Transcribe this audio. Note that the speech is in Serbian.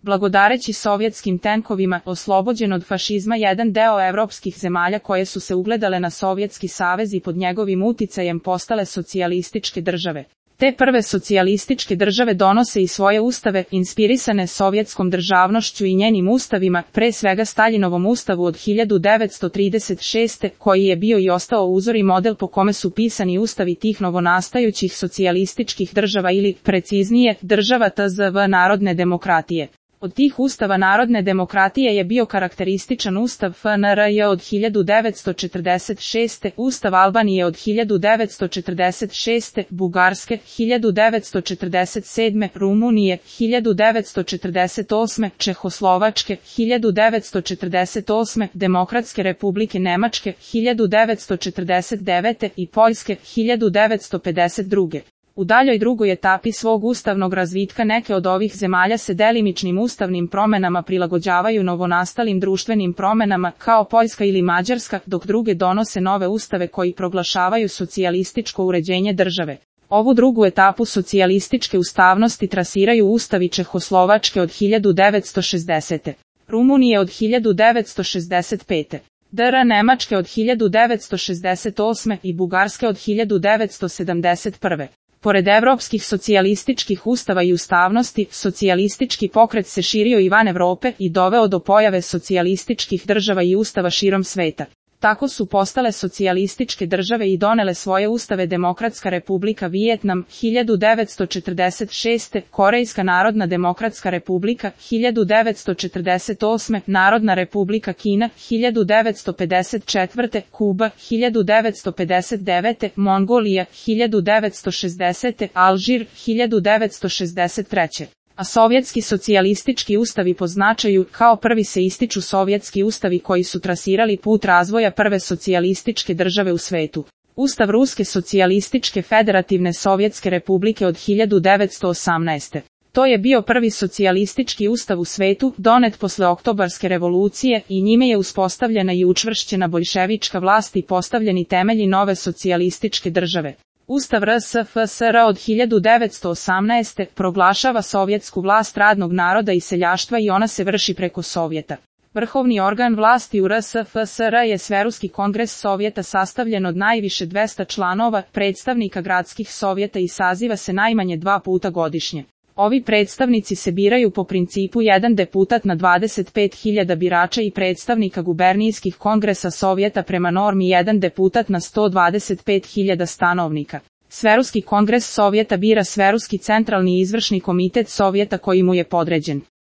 Blagodareći sovjetskim tenkovima, oslobođen od fašizma jedan deo evropskih zemalja koje su se ugledale na Sovjetski savez i pod njegovim uticajem postale socijalističke države. Te prve socijalističke države donose i svoje ustave, inspirisane sovjetskom državnošću i njenim ustavima, pre svega Staljinovom ustavu od 1936. koji je bio i ostao uzor i model po kome su pisani ustavi tih novonastajućih socijalističkih država ili, preciznije, država TZV Narodne demokratije. Od tih ustava Narodne demokratije je bio karakterističan ustav FNRJ od 1946. Ustav Albanije od 1946. Bugarske, 1947. Rumunije, 1948. Čehoslovačke, 1948. Demokratske republike Nemačke, 1949. i Poljske, 1952. U daljoj drugoj etapi svog ustavnog razvitka neke od ovih zemalja se delimičnim ustavnim promenama prilagođavaju novonastalim društvenim promenama, kao Poljska ili Mađarska, dok druge donose nove ustave koji proglašavaju socijalističko uređenje države. Ovu drugu etapu socijalističke ustavnosti trasiraju ustavi Čehoslovačke od 1960. Rumunije od 1965. DR Nemačke od 1968. i Bugarske od 1971. Pored evropskih socijalističkih ustava i ustavnosti, socijalistički pokret se širio i van Evrope i doveo do pojave socijalističkih država i ustava širom sveta. Tako su postale socijalističke države i donele svoje ustave Demokratska republika Vijetnam, 1946. Korejska narodna demokratska republika, 1948. Narodna republika Kina, 1954. Kuba, 1959. Mongolija, 1960. Alžir, 1963. A sovjetski socijalistički ustavi po značaju, kao prvi se ističu sovjetski ustavi koji su trasirali put razvoja prve socijalističke države u svetu. Ustav Ruske socijalističke federativne Sovjetske republike od 1918. To je bio prvi socijalistički ustav u svetu, donet posle Oktobarske revolucije i njime je uspostavljena i učvršćena boljševička vlast i postavljeni temelji nove socijalističke države. Ustav RSFSR od 1918. proglašava sovjetsku vlast radnog naroda i seljaštva i ona se vrši preko Sovjeta. Vrhovni organ vlasti u RSFSR je Sveruski kongres Sovjeta sastavljen od najviše 200 članova, predstavnika gradskih sovjeta i saziva se najmanje 2 puta godišnje. Ovi predstavnici se biraju po principu jedan deputat na 25.000 birača i predstavnika gubernijskih kongresa Sovjeta prema normi jedan deputat na 125.000 stanovnika. Sveruski kongres Sovjeta bira Sveruski centralni izvršni komitet Sovjeta koji mu je podređen.